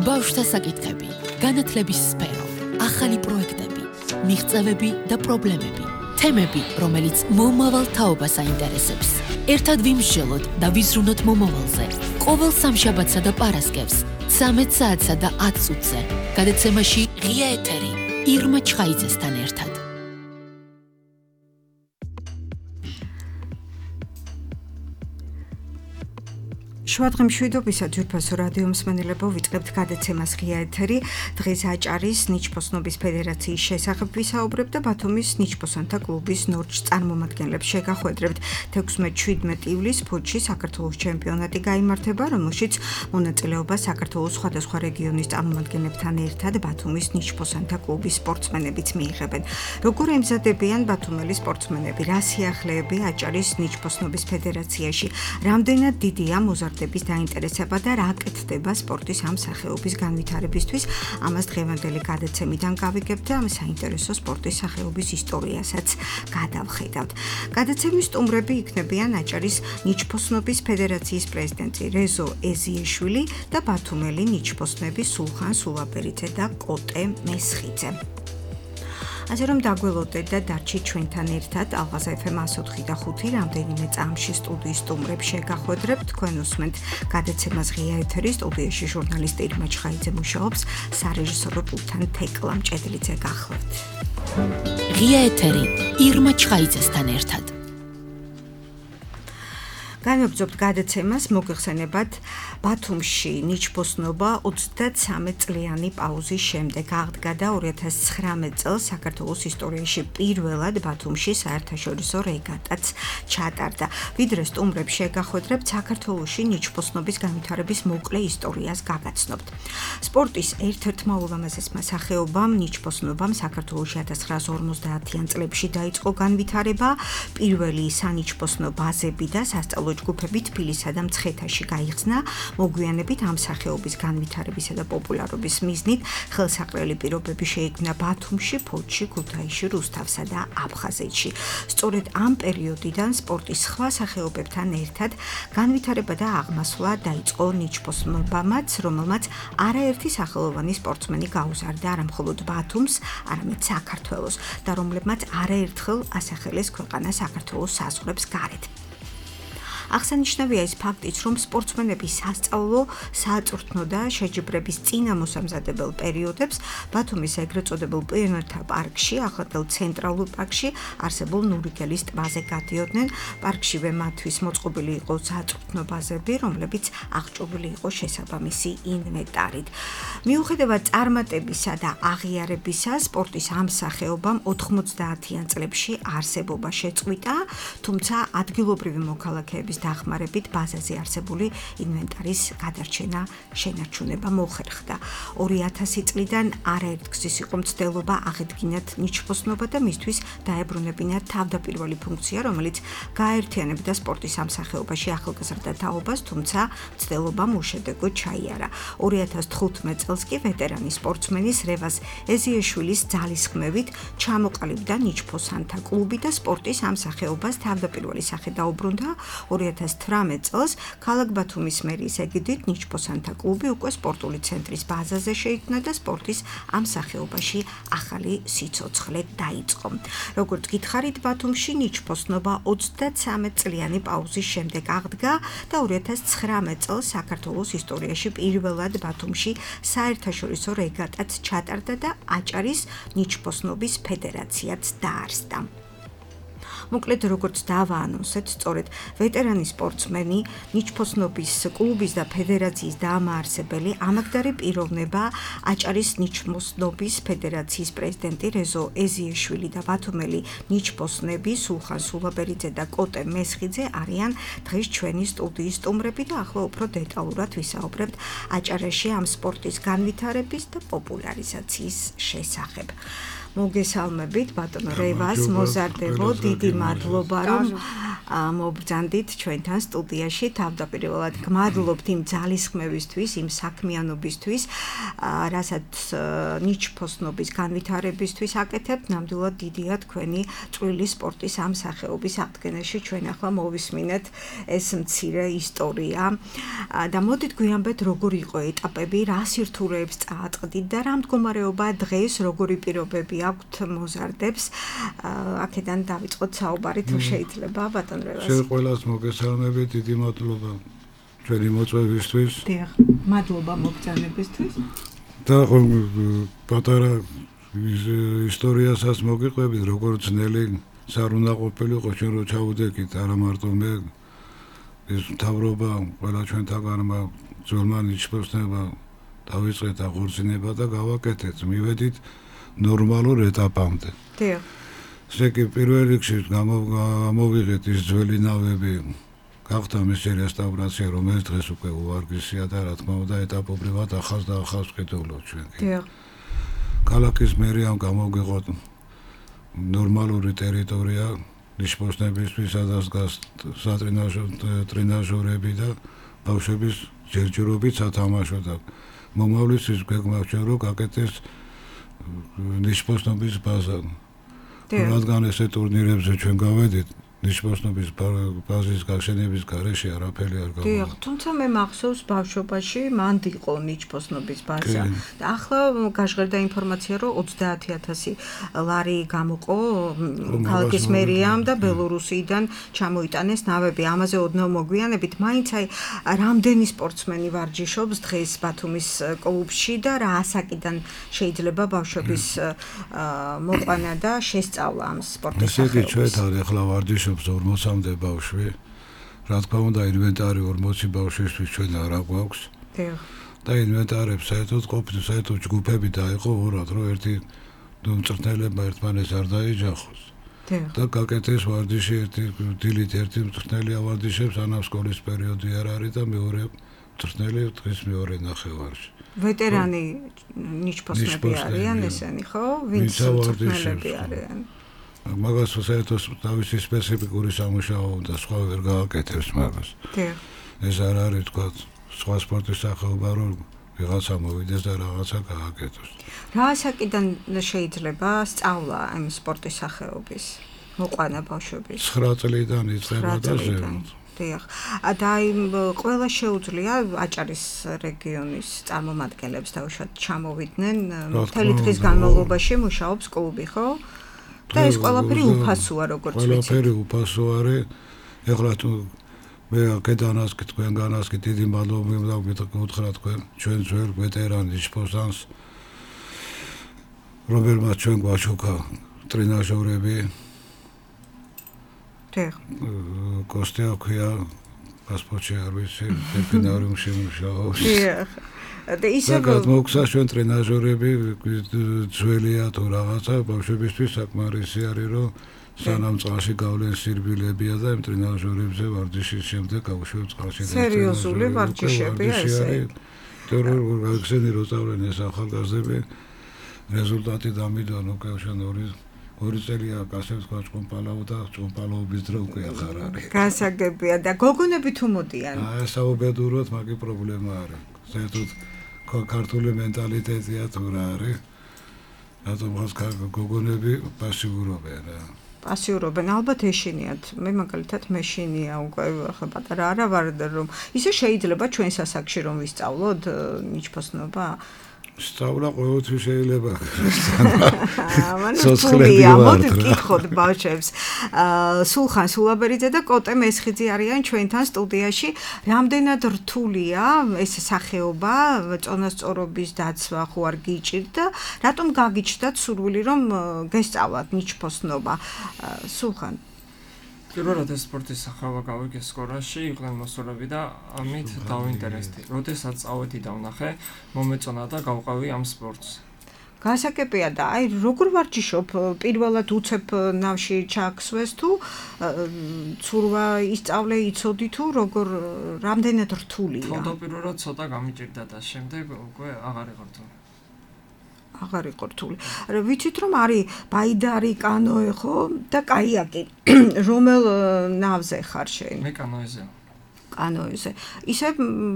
ბავშვთა საკითხები, განათლების სფერო, ახალი პროექტები, მიღწევები და პრობლემები, თემები, რომელიც მომავალ თაობას აინტერესებს. ერთად ვიმსჯელოთ და ვიზრუნოთ მომავალზე. ყოველ სამშაბათსა და პარასკევს, 13 საათსა და 10 წუთზე, გადაცემაში ღია ეთერი, ირმა ჩხაიძესთან ერთად. შუადღე მშვიდობისა ძვირფასო რადიო მსმენელებო, ვიწყებთ გადაცემას ღია ეთერი. დღეს აჭარის ნიჩბოსნობის ფედერაციის შესახებ ვისაუბრებთ და ბათუმის ნიჩბოსანთა კლუბის ნორჩ წარმომადგენლებს შეგახვედრებთ. 16-17 ივლისს ფოთში საქართველოს ჩემპიონატი გაიმართება, რომელშიც მონაწილეობას საქართველოს სხვადასხვა რეგიონის წარმომადგენლებთან ერთად ბათუმის ნიჩბოსანთა კლუბის სპორტსმენებიც მიიღებენ. როგორ ემზადებიან ბათუმელი სპორტსმენები, რა სიახლეები აჭარის ნიჩბოსნობის ფედერაციაში, რამდენად დიდია მოზარდ დაინტერესება და რა კეთდება სპორტის ამ სახეობის განვითარებისთვის, ამას დღევანდელი გადაცემიდან გავიგებთ და ამ საინტერესო სპორტის სახეობის ისტორიასაც გადავხედავთ. გადაცემის სტუმრები იქნებიან აჭარის ნიჩბოსნობის ფედერაციის პრეზიდენტი რეზო ეზიეშვილი და ბათუმელი ნიჩბოსნები სულხან სულაბერიძე და კოტე მესხიძე. ასე რომ დაგველოდეთ და დარჩით ჩვენთან ერთად ალღაზა FM 104 და 5 რამდენიმე წამში სტუდიის სტუმრებს შეგახვედრებთ. თქვენ უსმენთ გადაცემას ღია ეთერი, სტუდიაში ჟურნალისტი ირმა ჩხაიძე მუშაობს, სარეჟისორო პულტთან თეკლა მჭედლიძე გახლავთ. ღია ეთერი, ირმა ჩხაიძესთან ერთად. განვაგრძობთ გადაცემას, მოგეხსენებათ ბათუმში ნიჩბოსნობა 33 წლიანი პაუზის შემდეგ აღდგა და 2019 წელს საქართველოს ისტორიაში პირველად ბათუმში საერთაშორისო რეგატაც ჩატარდა. ვიდრე სტუმრებს შეგახვედრებთ, საქართველოში ნიჩბოსნობის განვითარების მოკლე ისტორიას გაგაცნობთ. სპორტის ერთ-ერთმა ულამაზესმა სახეობამ ნიჩბოსნობამ საქართველოში 1950-იან წლებში დაიწყო განვითარება. პირველი სანიჩბოსნო ბაზები და სასწავლო ჯგუფები თბილისსა და მცხეთაში გაიხსნა. მოგვიანებით ამ სახეობის განვითარებისა და პოპულარობის მიზნით ხელსაყრელი პირობები შეიქმნა ბათუმში, ფოთში, ქუთაისში, რუსთავსა და აფხაზეთში. სწორედ ამ პერიოდიდან სპორტის სხვა სახეობებთან ერთად განვითარება და აღმასვლა დაიწყო ნიჩბოსნობამაც, რომელმაც არაერთი სახელოვანი სპორტსმენი გაუზარდა არა მხოლოდ ბათუმს, არამედ საქართველოს და რომლებმაც არაერთხელ ასახელეს ქვეყანა საქართველოს საზღვრებს გარეთ. აღსანიშნავია ის ფაქტიც, რომ სპორტსმენების სასწავლო, საწვრთნო და შეჯიბრების წინამოსამზადებელ პერიოდებს ბათუმის ეგრეთ წოდებულ პიონერთა პარკში, ახლადელ ცენტრალურ პარკში არსებულ ნურიგელის ტბაზე გადიოდნენ. პარკშივე მათთვის მოწყობილი იყო საწვრთნო ბაზები, რომლებიც აღჭურვილი იყო შესაბამისი ინვენტარით. მიუხედავად წარმატებისა და აღიარებისა, სპორტის ამ სახეობამ 90-იან წლებში არსებობა შეწყვიტა, თუმცა ადგილობრივი მოქალაქეების დახმარებით ბაზაზე არსებული ინვენტარის გადარჩენა შენარჩუნება მოხერხდა. 2000 წლიდან არაერთგზის იყო მცდელობა აღედგინათ ნიჩბოსნობა და მისთვის დაებრუნებინათ თავდაპირველი ფუნქცია, რომელიც გააერთიანებდა სპორტის ამ სახეობაში ახალგაზრდა თაობას, თუმცა მცდელობამ უშედეგოდ ჩაიარა. 2015 წელს კი ვეტერანი სპორტსმენის რევაზ ეზიეშვილის ძალისხმევით ჩამოყალიბდა ნიჩბოსანთა კლუბი და სპორტის ამ სახეობას თავდაპირველი სახე დაუბრუნდა. 2018 წელს ქალაქ ბათუმის მერიის ეგიდით ნიჩბოსანთა კლუბი უკვე სპორტული ცენტრის ბაზაზე შეიქმნა და სპორტის ამ სახეობაში ახალი სიცოცხლე დაიწყო. როგორც გითხარით, ბათუმში ნიჩბოსნობა 33 წლიანი პაუზის შემდეგ აღდგა და 2019 წელს საქართველოს ისტორიაში პირველად ბათუმში საერთაშორისო რეგატაც ჩატარდა და აჭარის ნიჩბოსნობის ფედერაციაც დაარსდა. მოკლედ როგორც დავაანონსეთ, სწორედ ვეტერანი სპორტსმენი, ნიჩბოსნობის კლუბის და ფედერაციის დამაარსებელი, ამაგდარი პიროვნება აჭარის ნიჩბოსნობის ფედერაციის პრეზიდენტი რეზო ეზიეშვილი და ბათუმელი ნიჩბოსნები სულხან სულაბერიძე და კოტე მესხიძე არიან დღეს ჩვენი სტუდიის სტუმრები და ახლა უფრო დეტალურად ვისაუბრებთ აჭარაში ამ სპორტის განვითარების და პოპულარიზაციის შესახებ. მოგესალმებით ბატონო რევას, მოზარდებო, დიდი მადლობა რომ მობრძანდით ჩვენთან სტუდიაში. თავდაპირველად გმადლობთ იმ ძალისხმევისთვის, იმ საქმიანობისთვის, რასაც ნიჩბოსნობის განვითარებისთვის აკეთებთ. ნამდვილად დიდია თქვენი წვრილი სპორტის ამ სახეობის აღდგენაში. ჩვენ ახლა მოვისმინეთ ეს მცირე ისტორია და მოდით გვიანბეთ როგორ იყო ეტაპები, რა სირთულეებს წააწყდით და რა მდგომარეობაა დღეს, როგორი პირობები აქვთ მოზარდებს. აქედან დავიწყოთ საუბარი თუ შეიძლება ბატონ რევას. შენ ყველას მოგესალმები, დიდი მადლობა ჩვენი მოწვევისთვის. დიახ, მადლობა მოგზაურობისთვის. და პატარა ისტორიასაც მოგიყვებით, როგორც ძნელი სარ უნდა ყოფილიყო ჩვენ რო ჩავუდექით, არა მარტო მე ეს მთავრობა, ყველა ჩვენთაგანმა ძველმა ნიჩბოსნება დავიწყეთ აღორძინება და გავაკეთეთ, მივედით ნორმალურ ეტაპამდე. დიახ. ესე კი პირველ რიგში გამოვიღეთ ის ძველი ნავები, გახდა მისი რესტავრაცია, რომელიც დღეს უკვე უვარგისია და რა თქმა უნდა ეტაპობრივად ახალს და ახალს ვხედავლობთ ჩვენ. დიახ. ქალაქის მერიამ გამოვიღოთ ნორმალური ტერიტორია ნიშბოსნებისთვის, სადაც დგას სატრენაჟორები და ბავშვების ჯერჯერობით სათამაშო და მომავლისთვის გვეგმავთ რომ გაკეთდეს ნიშბოსნობის ბაზა. რადგან ესე ტურნირებზე ჩვენ გავედით, ნიშბოსნობის ბაზის გაშენების გარეშე არაფერი არ გამოვა. დიახ, თუმცა მე მახსოვს ბავშვობაში მანდ იყო ნიშბოსნობის ბაზა და ახლა გაჟღერდა ინფორმაცია რომ 30,000 ლარი გამოყო ქალაქის მერიამ და ბელორუსიდან ჩამოიტანეს ნავები. ამაზე ოდნავ მოგვიანებით, მაინც აი რამდენი სპორტსმენი ვარჯიშობს დღეს ბათუმის კლუბში და რა ასაკიდან შეიძლება ბავშვების მოყვანა და შესწავლა ამ სპორტის სახეობას. ესე კი ჩვენ ახლა ვარჯიშობ 40-მდე ბავშვი. რა თქმა უნდა ინვენტარი 40 ბავშვისთვის ჩვენ არ აგვაქვს. დიახ. და ინვენტარებს საერთოდ ყოფილი საერთოდ ჯგუფები დაიყო ორად, რომ ერთი მწვრთნელებმა ერთმანეთს არ დაეჯახოს. დიახ. და გაკეთეს ვარჯიში ერთი დილით ერთი მწვრთნელი ავარჯიშებს, ანამ სკოლის პერიოდი არ არის და მეორე მწვრთნელი დღის მეორე ნახევარში. ვეტერანი ნიჩბოსნები არიან ესენი, ხო? ვინც მწვრთნელები არიან? მაგას საერთოდ თავისი სპეციფიკური სამუშაო და სხვა ვერ გააკეთებს მაგას. დიახ. ეს არ არის თქვა სხვა სპორტის სახეობა რომ ვიღაცა მოვიდეს და რაღაცა გააკეთოს. რა ასაკიდან შეიძლება სწავლა ამ სპორტის სახეობის მოყვანა ბავშვების? 9 წლიდან იწყება და ზემოთ. დიახ. და იმ ყველა შეუძლია აჭარის რეგიონის წარმომადგენლებს დაუშვათ ჩამოვიდნენ მთელი დღის განმავლობაში მუშაობს კლუბი, ხო? და ეს ყველაფერი უფასოა როგორც ვიცით. ყველაფერი უფასო არის. ეხლა თუ მე კედანას თქვენგანას კი დიდი მადლობა გითხრა თქვენ ჩვენ ძველ ვეტერან ნიშბოსანს რომელმაც ჩვენ გვაჩუქა ტრენაჟორები. დიახ. კოსტია ქვია პასპორტი არ ვიცი, დეფინარიუმში მუშაობს. დიახ. და ისე მოგცა ჩვენ ტრენაჟორები ძველია თუ რაღაცა ბავშვებისთვის საკმარისი არის რომ სანამ წყალში გავლენ სირბილებია და იმ ტრენაჟორებზე ვარჯიშის შემდეგ გავუშვებ წყალში. სერიოზული ვარჯიშებია ესე. თორემ გაგზენი რომ წავლენ ეს ახალგაზრდები რეზულტატი დამიდონ უკვე ჩვენ ორი წელია ასე ვთქვა ჭკომპალაო და ჭკომპალაობის დრო უკვე აღარ არის. გასაგებია და გოგონები თუ მოდიან? საუბედუროთ მაგი პრობლემა არის. საერთოდ ქართული მენტალიტეტია თუ რა არის. რატომ გოგონები პასიურობენ რა. პასიურობენ, ალბათ ეშინიათ. მე მაგალითად მეშინია უკვე ახლა პატარა არა ვარ რომ ისე შეიძლება ჩვენ სასაკში რომ ვისწავლოთ ნიჩბოსნობა? სწავლა ყოველთვის შეიძლება. სოცხლები მოდით გითხოთ ბავშვებს. სულხან სულაბერიძე და კოტე მესხიძე არიან ჩვენთან სტუდიაში. რამდენად რთულია ეს სახეობა, წონასწორობის დაცვა ხო არ გიჭირთ და რატომ გაგიჩნდათ სურვილი რომ გესწავლათ ნიჩბოსნობა? სულხან პირველად ეს სპორტის სახეობა გავიგე სკოლაში, იყვნენ მოსწავლეები და ამით დავინტერესდი. როდესაც წავედი და ვნახე, მომეწონა და გავყავი ამ სპორტს. გასაკეპია და აი როგორ ვარჯიშობ? პირველად უცებ ნავში ჩააქსვეს თუ ცურვა ისწავლე, იცოდი თუ როგორ რამდენად რთულია? თავდაპირველად ცოტა გამიჭირდა და შემდეგ უკვე აღარ იყო რთული. აღარ იყო რთული. რა ვიცით რომ არის ბაიდარი, კანოე ხო და კაიაკი. რომელ ნავზე ხარ შენ? მე კანოეზე. კანოეზე. ისე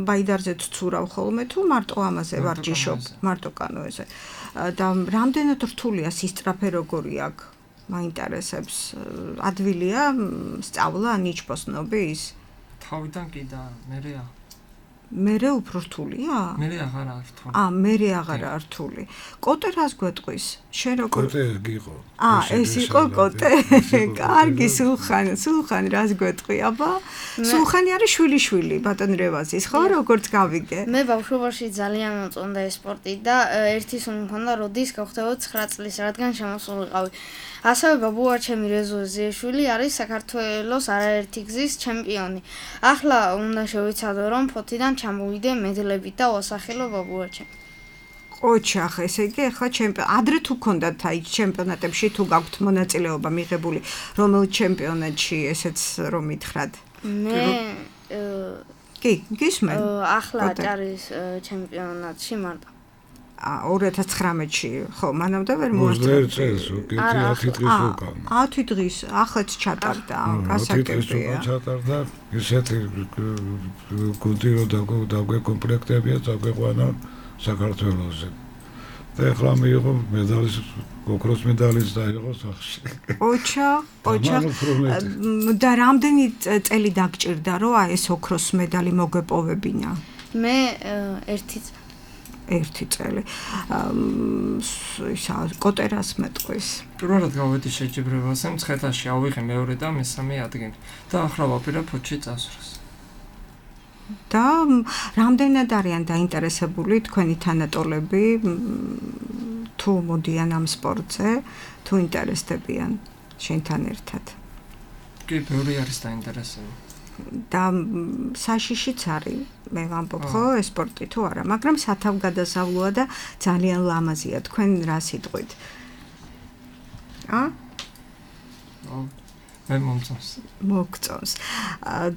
ბაიდარზე ცურავ ხოლმე თუ მარტო ამაზე ვარჯიშობ, მარტო კანოეზე. და რამდენად რთულია სისწრაფე როგორი აქვს? მაინტერესებს. ადვილია სწავლა ნიჩბოსნობი ის? თავიდან კი და მერეა. მერე უფრო რთულია? მერე აღარა რთული. მერე აღარა რთული. კოტე რას გვეტყვის? შენ როგორ კოტე გიყო. ეს იყო კოტე. კარგი, სულხან რას გვეტყვი? აბა, სულხანი არის შვილი ბატონ რევაზის, ხო, როგორც გავიგე? მე ბავშვობაში ძალიან მოწონდა ეს სპორტი და ერთი სულ მქონდა, როდის გავხდებოდ 9 წლის, რადგან შემოსულიყავი. ასევე ბაბუაჩემი რეზო ზიეშვილი არის საქართველოს არაერთი გზის ჩემპიონი. ახლა უნდა შევიცადო, რომ ფოთიდან ჩამოვიდე მედლებით და ვასახელო ბაბუაჩემ. ოჩახ, ესე იგი, ახლა ადრე თუ გქონდათ აი ჩემპიონატებში თუ გაქვთ მონაწილეობა მიღებული, რომელ ჩემპიონატში ესეც რომ მითხრათ? მე კი, გისმენ? ახლა აჭარის ჩემპიონატში მარტო. 2019-ში, ხო, მანამდე ვერ მოასწრებდი. 10 დღის უკან. 10 დღის, ახლა ჩატარდა, გასაგებია. ჩატარდა, ისეთი გუნდი რომ დაგვეკომპლექტებია, დაგვეყვანა საქართველოსზე. და ახლა მიიღო მედალის, ოქროს მედალიც დაიღო სახში. ოჩახ. და რამდენი წელი დაგჭირდა, რომ ეს ოქროს მედალი მოგეპოვებინა? მე ერთი წელი. კოტერას მეტყვის. პირველად გავედი შეჯიბრებაზე, მცხეთაში ავიღე მეორე და მესამე ადგილი და ახლა ვაპირებ ფოთში წასვლას. და რამდენად არიან დაინტერესებული თქვენი თანატოლები თუ მოდიან ამ სპორტზე, თუ ინტერესდებიან შენთან ერთად? კი, ბევრი არის დაინტერესებული. და საშიშიც არის, მე ვამბობ ხო, ეს სპორტი თუ არა, მაგრამ სათავგადასავლოა და ძალიან ლამაზია. თქვენ რა სიტყვით? მე მოგწონს.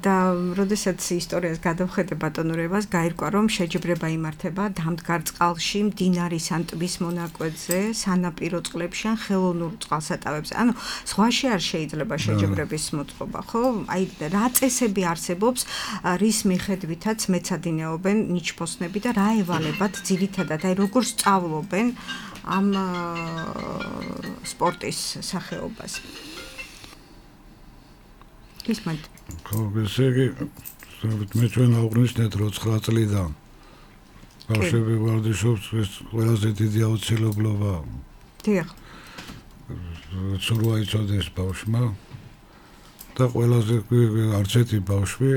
და როდესაც ისტორიას გადავხედე ბატონურებას, გაირკვა რომ შეჯიბრება იმართება დამდგარ წყალში, მდინარის ან ტბის მონაკვეთზე, სანაპირო წყლებში ან ხელოვნურ წყალსატევებზე. ანუ ზღვაში არ შეიძლება შეჯიბრების მოწყობა, ხო? აი რა წესები არსებობს, რის მიხედვითაც მეცადინეობენ ნიჩბოსნები და რა ევალებათ ძირითადად, აი როგორ სწავლობენ ამ სპორტის სახეობას? ისმენთ. ხო, ესე იგი, მე ჩვენ აღვნიშნეთ, რომ 9 წლიდან ბავშვები ვარჯიშობს, ეს ყველაზე დიდი აუცილებლობაა. დიახ. სურვა იცოდეს ბავშვმა და ყველაზე არც ერთი ბავშვი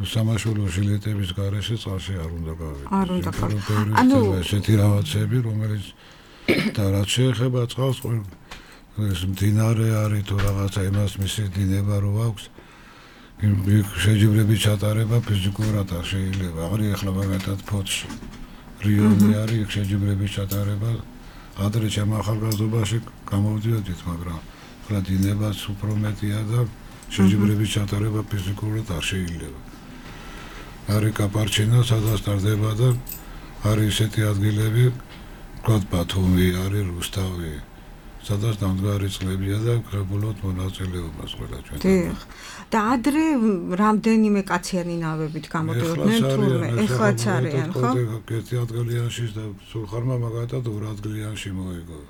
სამაშველო ჟილეტების გარეშე წყალში არ უნდა გავიდეს. არ უნდა გავიდეს. ანუ ესეთი რაღაცები, რომელიც და რაც შეეხება წყალს, ეს მდინარე არის თუ რაღაცა იმას მისი დინება რო აქვს, შეჯიბრების ჩატარება ფიზიკურად არ შეიძლება. აღარ ეხლა მაგათად ფოთში. რიონი არის შეჯიბრების ჩატარება. ადრე ჩემ ახალგაზრდობაში გამოვდიოდით, მაგრამ ახლა დინებაც უფრო მეტია და შეჯიბრების ჩატარება ფიზიკურად არ შეიძლება. არის კაპარჩინა, სადაც ტარდება და არის ესეთი ადგილები, ვთქვათ ბათუმი, არის რუსთავი. სადაც დამდგარი წყლებია და კრებულობთ მონაწილეობას ყველა ჩვენ. დიახ. და ადრე რამდენიმე კაციანი ნავებით გამოდიოდნენ თურმე? ეხლაც არიან, ხო? ერთი ადგილიანში და სულხარმა მაგათად 2 ადგილიანში მოიგო.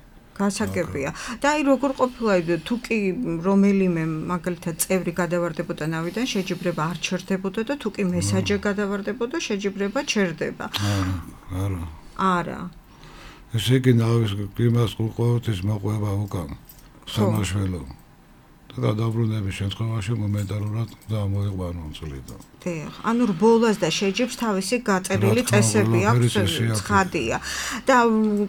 გასაგებია. და აი როგორ ყოფილა თუ კი რომელიმე მაგალითად წევრი გადავარდებოდა ნავიდან, შეჯიბრება არ ჩერდებოდა და თუ კი მესაჯე გადავარდებოდა, შეჯიბრება ჩერდება. არა. ესე იგი ნავის კლიმას ყოველთვის მოყვება უკან სამაშველო და გადაბრუნების შემთხვევაში მომენტალურად გამოიყვანონ წლიდან. დიახ, ანუ რბოლას და შეჯიბრს თავისი გაწერილი წესები აქვს, ცხადია. და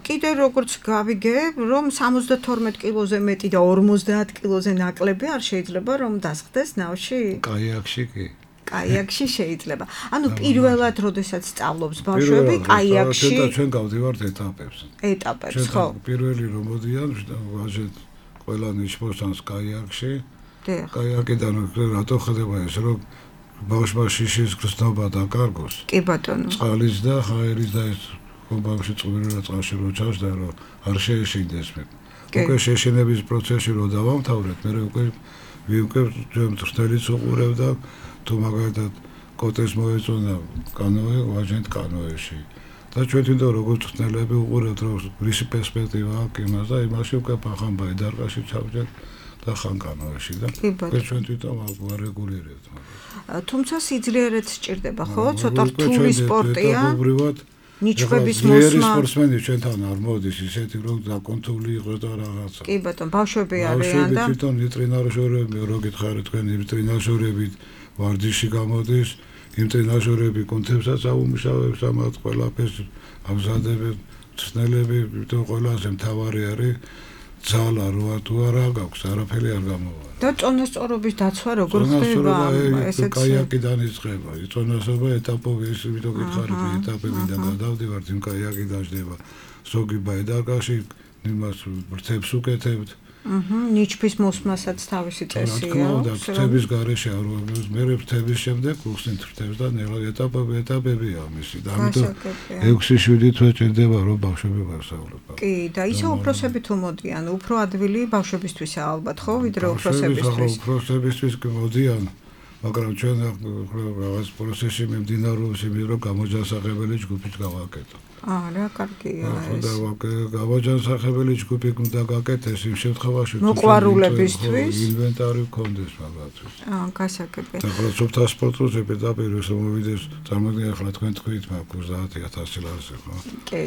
კიდე როგორც გავიგე, რომ 72 კილოზე მეტი და 50 კილოზე ნაკლები არ შეიძლება რომ დასხდეს ნავში? კაიაკში კი. კაიაკში შეიძლება. ანუ პირველად როდესაც სწავლობს ბავშვები კაიაკში. ჩვენ გავდივართ ეტაპებს, ხო. პირველი რომ მოდიან, ვაჟეთ ყველა ნიჩბოსანს კაიაკში. დიახ. კაიაკიდან რატო ხდება ეს, რომ ბავშვმა შიშის გრძნობა დაკარგოს? კი ბატონო. წყალის და ჰაერის და ეს ბავშვი წყვილად წყალში რო ჩავშდა რომ არ შეეშინდეს მე. უკვე შეშინების პროცესში რო დავამთავრეთ, მე უკვე ჩვენ ტრტელიც უყურებ და თუ მაგალითად კოტეს მოეწონა კანოე, ვაჟენთ კანოეში. და ჩვენ თვითონ როგორც ტრტელები უყურებთ რომ რისი პერსპექტივა აქვს იმას და იმაში უკვე ფახამბაი დარყაში ჩავჯეთ და ხან კანოეში და ჩვენ თვითონ ვარეგულირებთ. თუმცა სიძლიერეც სჭირდება, ხო? ცოტა რთული სპორტია. ნიჩბების მოსმა. სპორტსმენი ჩვენთან არ მოდის ისეთი რომ დაკონტროლი იყოს და რაღაცა. კი ბატონო, ბავშვები არიან და თვითონ ტრენაჟორები, რო გითხარით თქვენ იმ ტრენაჟორებით ვარჯიში გამოდის, იმ ტრენაჟორები კონცეფცияსაც აუმუშავებს ამათ ყველაფერს ამზადებენ, ცნელები, თვითონ ყველაზე მთავარი არის ძალა როა თუ არა გაქვს, არაფერი არ გამოვა. და წონასწორობის დაცვა როგორ ხდება? ესეც კაიაკიდან იწყება. წონასწორობა ეტაპები, ის ვიდრე გითხარით, ეტაპებიდან გადავდივართ, იმ კაიაკიდან ჯდება. ზოგი ბაიდაკაში იმას ვრცებს უკეთებთ. ნიჩბის მოსმასაც თავისი წესია. და ფრთების გარეშე არ ვაგებს, მე ფრთების შემდეგ უხსნით ფრთებს და ნელა ეტაპებია მისი. და ამიტომ 6-7 თვე ჭირდება რომ ბავშვები გასავლოთ. კი, და ისე უფროსები თუ მოდიან, უფრო ადვილი ბავშვებისთვისაა ალბათ, ხო, ვიდრე უფროსებისთვის. უფროსებისთვის მოდიან, მაგრამ ჩვენ რაღაც პროცესში მიმდინარეობს იმის რომ გამოჯანსაღებელი ჯგუფით გავაკეთო. რა კარგია ეს. გამოჯანსაღებელი ჯგუფი უნდა გაკეთდეს იმ შემთხვევაში მოყვარულებისთვის ინვენტარი გქონდეს მაგათთვის. გასაგებია. და პროცესთა სპორტზე პედაგოგის მომიდეს წარმოგიდგენთ ახლა თქვენ თქვით მაქვს 30,000 ლარზე ხო? კი.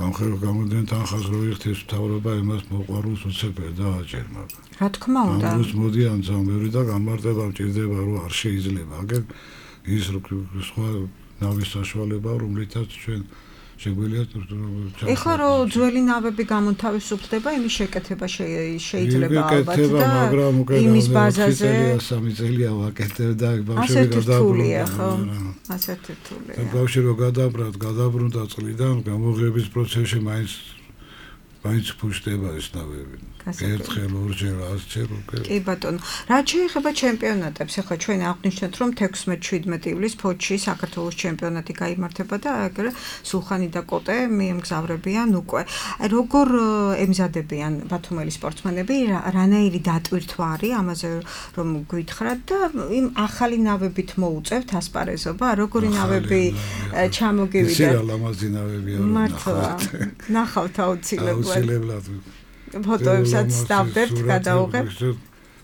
ამხელ გამოდენ თანხას რო იხდეს მთავრობა იმას მოყვარულს უცებია და აჭერ მაგრამ. რა თქმა უნდა. ამას მოდიან ძამები და გამარტება მჭირდება რომ არ შეიძლება. აგერ ის სხვა ნავის საშუალება რომლითაც ჩვენ შეგვიძლია ეხლა რომ ძველი ნავები გამონთავისუფლდება, იმის შეკეთება შეიძლება ალბათ და იმის ბაზაზე 3 წელია ვაკეთებ და ბავშვები გადაბრუნდა, ხო? ასეთი რთულია. ბავშვი რო გადაბრუნდა წლიდან, გამოღების პროცესში მაინც ფუშტება ეს ნავები. ერთხელ ორჯერ 100-ჯერ უკვე. კი ბატონო. რაც შეეხება ჩემპიონატებს, ახლა ჩვენ აღვნიშნეთ რომ 16-17 ივლისს ფოთში საქართველოს ჩემპიონატი გაიმართება და ეგრე სულხანი და კოტე მიემგზავრებიან უკვე. როგორ ემზადებიან ბათუმელი სპორტსმენები, რანაირი დატვირთვა არის ამაზე რომ გვითხრათ და იმ ახალი ნავებით მოუწევთ ასპარეზობა, როგორი ნავები ჩამოგივიდა? ისე ლამაზი ნავებია რომ ნახავთ აუცილებლად. ფოტოებსაც დავდებთ, გადავუღებთ.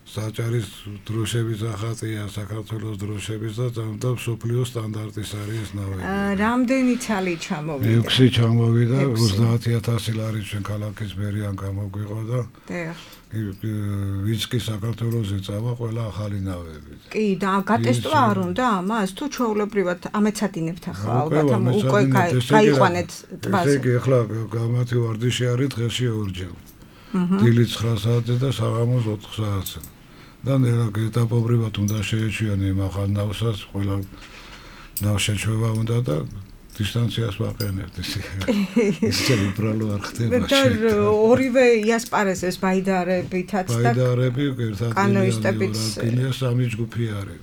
საჭარის დროშების ახატია საქართველოს დროშების და მსოფლიოს სტანდარტის არის ეს ნავები. რამდენი ცალი ჩამოვიდა? 6 ჩამოვიდა, 30,000 ლარი ჩვენ ქალაქის მერიან გამოგვიყო და ვინც კი საქართველოსზე წავა ყველა ახალი ნავები. კი, და გატესტვა არ უნდა ამას? თუ ჩვეულებრივად ამეცადინებთ ახლა ალბათ უკვე გაიყვანეთ ტბაზე. ესე იგი ახლა გამათი ვარჯიში არის დღეში ორჯერ. დილით 9 საათზე და საღამოს 4 საათზე. და ნელა ეტაპობრივად უნდა შეეჩვიანო იმ ახალ ნავსაც, ყველა ნავშეჩვევა უნდა და დისტანციას ვაყენებთ ისე. ისე უბრალო არ ხდება. და ორივე იასპარეზებს ბაიდარებითაც და ბაიდარები ერთად კანოისტებიც 3 ჯგუფი არის.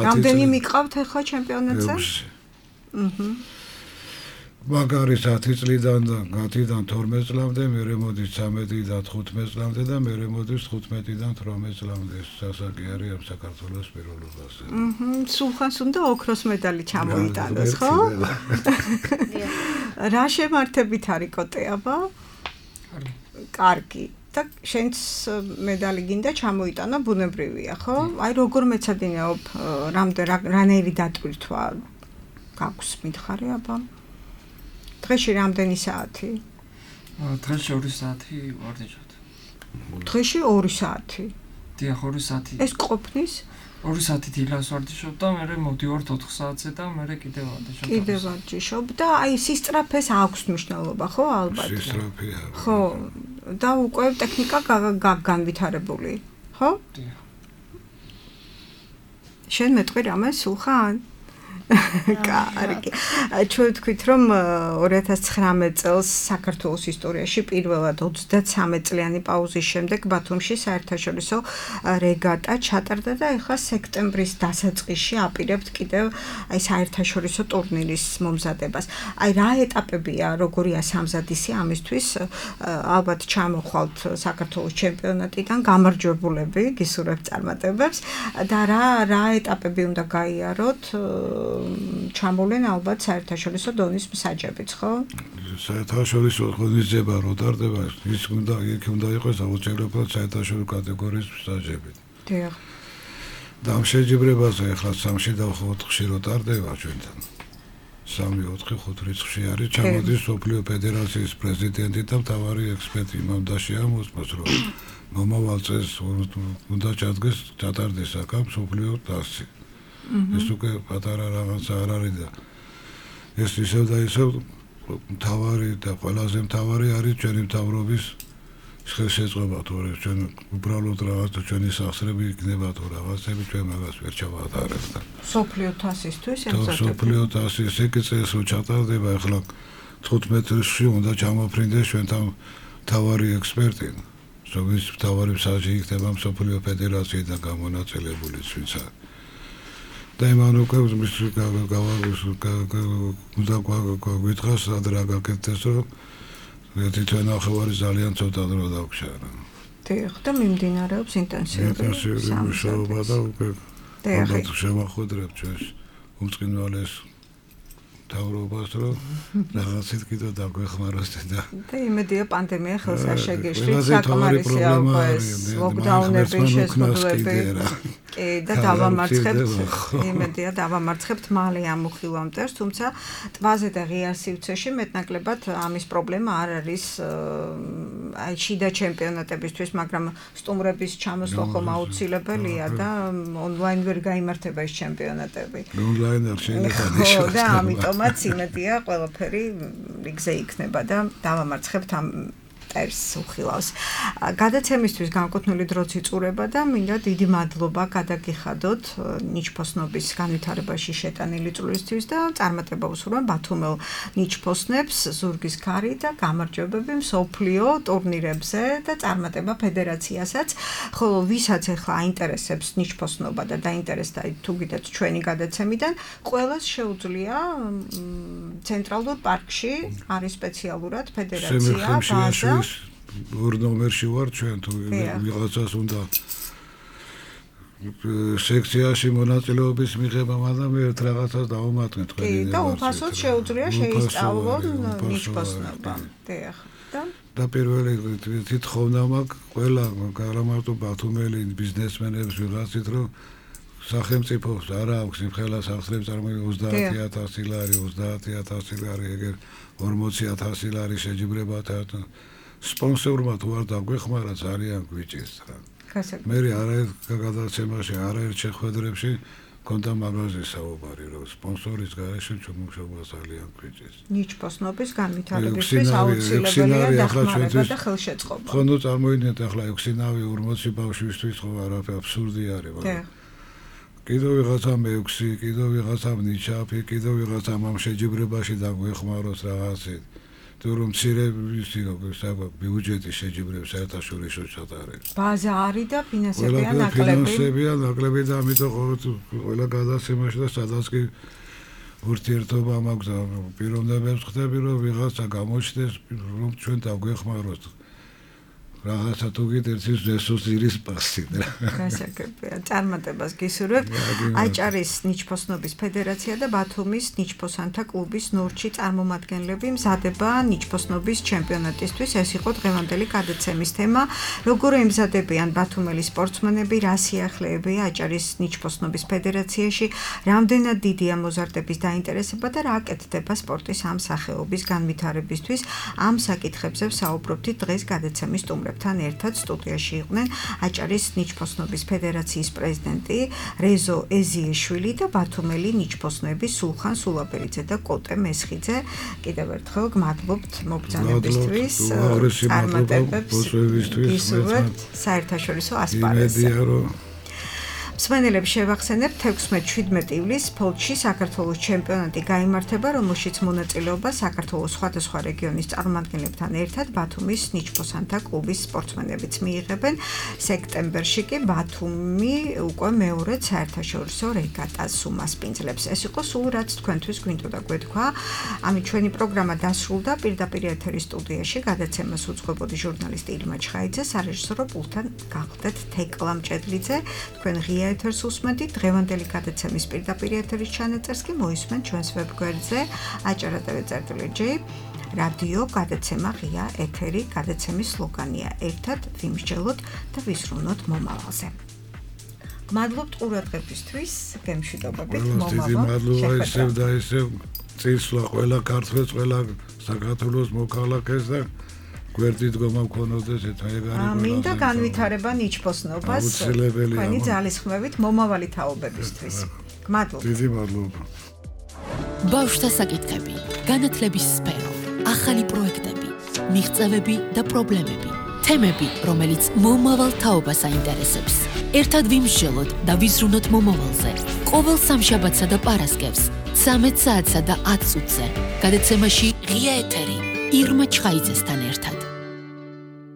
რამდენი მიყავთ ახლა ჩემპიონატზე? მაგარი 10 წლიდან და 10-დან 12 წლამდე, მერე მოდის 13-დან 15 წლამდე და მერე მოდის 15-დან 18 წლამდე. ეს სასაკი არის ამ საქართველოს პირველობაზე. სულხანს უნდა ოქროს медаლი ჩამოიტანოს, ხო? რა შემართებით არის კოტე აბა? კარგი. და შენც медаლი გინდა ჩამოიტანო, ბუნებრივია, ხო? აი როგორ მეცადინეობ, რანაირი დატვირთვა გაქვს მითხარი აბა? დღეში რამდენი საათი? დღეში 2 საათი ვარჯიშობ. დღეში 2 საათი. დიახ, 2 საათი. ეს ყოფნის? 2 საათი დილას ვარჯიშობ და მე მოვდივარ 4 საათზე და მე კიდევ ვარჯიშობ. კიდევ ვარჯიშობ და აი სისწრაფეს აქვს მნიშვნელობა, ხო, ალბათ? სისწრაფეა. ხო, და უკვე ტექნიკა განვითარებული, ხო? დიახ. შენ მეტყვი რამე სულხან? კარგი. ჩვენ ვთქვით, რომ 2019 წელს საქართველოს ისტორიაში პირველად 33 წლიანი პაუზის შემდეგ ბათუმში საერთაშორისო რეგატა ჩატარდა და ეხლა სექტემბრის დასაწყისში აპირებთ კიდევ აი საერთაშორისო ტურნირის მომზადებას. აი რა ეტაპებია, როგორია სამზადისი ამისთვის? ალბათ ჩამოხვალთ საქართველოს ჩემპიონატიდან გამარჯვებულები, გისურვებთ წარმატებებს და რა ეტაპები უნდა გაიაროთ? ჩამოვლენ ალბათ საერთაშორისო დონის მსაჯებიც, ხო? საერთაშორისო ღონისძიება რო ტარდება, ის უნდა იყოს აუცილებლად საერთაშორისო კატეგორიის მსაჯები. დიახ. და ამ შეჯიბრებაზე ახლა 3-ში და 4-ში რო ტარდება ჩვენთან. 3, 4, 5 რიცხვში არის ჩამოდის სოფლიო ფედერაციის პრეზიდენტი და მთავარი ექსპერტი იმამდაში ამოსმოს, რომ მომავალ წელს უნდა ჩადგეს ჩატარდეს აქ სოფლიო თასი. ეს უკვე პატარა რაღაცა არ არის და ეს ისევ და ისევ მთავარი და ყველაზე მთავარი არის ჩვენი მთავრობის შესაძლებლობა თუ ჩვენ უბრალოდ რაღაცა ჩვენი სახსრები იქნება თუ რაღაცები ჩვენ მაგას ვერ ჩავატარებთ და სოფლიო თასისთვის ემზადებათ. სოფლიო თასი სეკცეს რო ჩატარდება ახლა 15-ში უნდა ჩამოფრინდეს ჩვენთან მთავარი ექსპერტი. ზოგის მთავარი მსაჯი იქნება სოფლიო ფედერაციიდან გამონაწილებული ვინცა და იმან უკვე უნდა გვითხრას რა გაკეთდეს რომ თვითონ ახალარი ძალიან ცოტა დრო დავქშარა. დიახ, და მიმდინარეობს ინტენსიური მუშაობა და უკვე ალბათ შევახვედრებთ ჩვენს უმწყინვალეს მთავრობას, რომ რაღაცით კიდევ დაგვეხმაროს და იმედია პანდემია ხელს არ შეგეშლით, საკმარისია უკვე ეს ლოკდაუნების შესაძლებლობები. კი, და დავამარცხებთ, იმედია დავამარცხებთ მალე ამ უხილავ მტერს, თუმცა ტბაზე და ღია სივრცეში მეტნაკლებად ამის პრობლემა არ არის აი შიდა ჩემპიონატებისთვის, მაგრამ სტუმრების ჩამოსვლა ხომ აუცილებელია და ონლაინ ვერ გაიმართება ეს ჩემპიონატები. ონლაინ არ შეიძლება ნიშნავს. და ამიტომაც იმედია ყველაფერი რიგზე იქნება და დავამარცხებთ ამ მტერს უხილავს. გადაცემისთვის განკუთვნილი დროც იწურება და მინდა დიდი მადლობა გადაგიხადოთ ნიჩფოსნობის განვითარებაში შეტანილი წვლილისთვის და წარმატება ვუსურვებ ბათუმელ ნიჩფოსნებს, ზურგის ქარი და გამარჯვებები მსოფლიო ტურნირებზე და წარმატება ფედერაციასაც, ხოლო ვისაც ახლა აინტერესებს ნიჩფოსნობა და დაინტერესდა თუ გიდათ ჩვენი გადაცემიდან, ყველას შეუძლია ცენტრალურ პარკში არის სპეციალურად ფედერაცია, ბაზა ორ ნომერში ვარ ჩვენ თუ ვიღაცას უნდა სექციაში მონაწილეობის მიღება, მაგრამ ერთ რაღაცას დავუმატნეთ თქვენი და უფასოდ შეუძლია შეისწავლონ ნიჩფოსნობა. დიახ. და პირველი თითხოვნა მაქვს ყველა გამარტო ბათუმელი ბიზნესმენებს ვიღაცით, რომ სახელმწიფოს არ აქვს იმხელა სახსრებს წარმოიდგინოს 30,000 ლარი, 30,000 ლარი, ეგერ 40,000 ლარი შეჯიბრებათა სპონსორმა თუ არ დაგვეხმარა ძალიან გვიჭირს რა. მე არაერთ გადაცემაში, არაერთ შეხვედრებში კონდა მაგაზე საუბარი, რომ სპონსორის გარეშე ჩუმუშობა ძალიან გვიჭირს. ნიჩფოსნობის განვითარებისთვის აუცილებელია დახმარება და ხელშეწყობა. ხო, ნუ წარმოიდგინეთ ახლა 6-ნავი 40 ბავშვისთვის ხო არაფერი აბსურდი არის, მაგრამ კიდევ ვიღაცა მე-6, კიდევ ვიღაცა ნიჩაფი, კიდევ ვიღაცა ამ შეჯიბრებაში დაგვეხმაროს რაღაცით. თუ რომ მცირე ისი როგორ ბიუჯეტის შეჯიბრებს საერთაშორისო ჩატარებს. ბაზა არის და ფინანსებია ნაკლები. ფინანსებია ნაკლები და ამიტომ ყველა გადაცემაში და სადაც კი ურთიერთობა მაქვს და პიროვნებებს ხდები რომ ვიღაცა გამოჩნდეს რომ ჩვენ დაგვეხმაროთ. რაღაცა თუ გიდერთ ის რესურსის პასი რა. გასაგებია, წარმატებას გისურვებთ. აჭარის ნიჩფოსნობის ფედერაცია და ბათუმის ნიჩფოსანთა კლუბის ნორჩი წარმომადგენლები მზადება ნიჩფოსნობის ჩემპიონატისთვის. ეს იყო დღევანდელი გადაცემის თემა. როგორ ემზადებიან ბათუმელი სპორტსმენები, რა სიახლეებია აჭარის ნიჩფოსნობის ფედერაციაში, რამდენად დიდია მოზარდების დაინტერესება და რა აკეთდება სპორტის ამ სახეობის განვითარებისთვის. ამ საკითხებზე ვსაუბრობთ დღეს გადაცემის სტუმრებთან. ერთად სტუდიაში იყვნენ აჭარის ნიჩფოსნობის ფედერაციის პრეზიდენტი რეზო ეზიეშვილი და ბათუმელი ნიჩფოსნები სულხან სულაბერიძე და კოტე მესხიძე. კიდევ ერთხელ გმადლობთ მობრძანებისთვის, წარმატებებს გისურვებთ საერთაშორისო ასპარეზზე. მსმენელებს შევახსენებთ 16-17 ივლისს ფოლჩში საქართველოს ჩემპიონატი გაიმართება, რომელშიც მონაწილეობას საქართველოს სხვადასხვა რეგიონის წარმომადგენლებთან ერთად ბათუმის ნიჩბოსანთა კლუბის სპორტსმენებიც მიიღებენ. სექტემბერში კი ბათუმი უკვე მეორედ საერთაშორისო რეგატას უმასპინძლებს. ეს იყო სულ რაც თქვენთვის გვინდოდა გვეთქვა. ამით ჩვენი პროგრამა დასრულდა. პირდაპირ ეთერის სტუდიაში გადაცემას უძღვებოდი ჟურნალისტი ირმა ჩხაიძე, სარეჟისორო პულტთან გახლდეთ თეკლა მჭედლიძე. თქვენ ღია ეთერს უსმენთ. დღევანდელი გადაცემის პირდაპირ ეთერის ჩანაწერს კი მოისმენთ ჩვენს ვებგვერდზე aჭara.tv/J რადიო გადაცემა ღია ეთერი. გადაცემის სლოგანია ერთად ვიმსჯელოთ და ვისრულოთ მომავალზე. გმადლობთ ყურადღებისთვის, გემშვიდობებით მომავალ. დიდი მადლობა ისევ და ისევ წისვლა ყველა ქართველს, ყველა საქართველოს მოქალაქეს და გვერდი დგომა მქონოდეს ეთაეგარი. მინდა განვითარება ნიჩბოსნობას თქვენი ძალისხმევით მომავალი თაობებისთვის. გმადლობთ. დიდი მადლობა. ბავშვთა საკითხები, განათლების სფერო, ახალი პროექტები, მიღწევები და პრობლემები, თემები, რომელიც მომავალ თაობას აინტერესებს. ერთად ვიმსჯელოთ და ვიზრუნოთ მომავალზე. ყოველ სამშაბათსა და პარასკევს 13 საათსა და 10 წუთზე. გადაცემაში ღია ეთერი ირმა ჩხაიძესთან ერთად.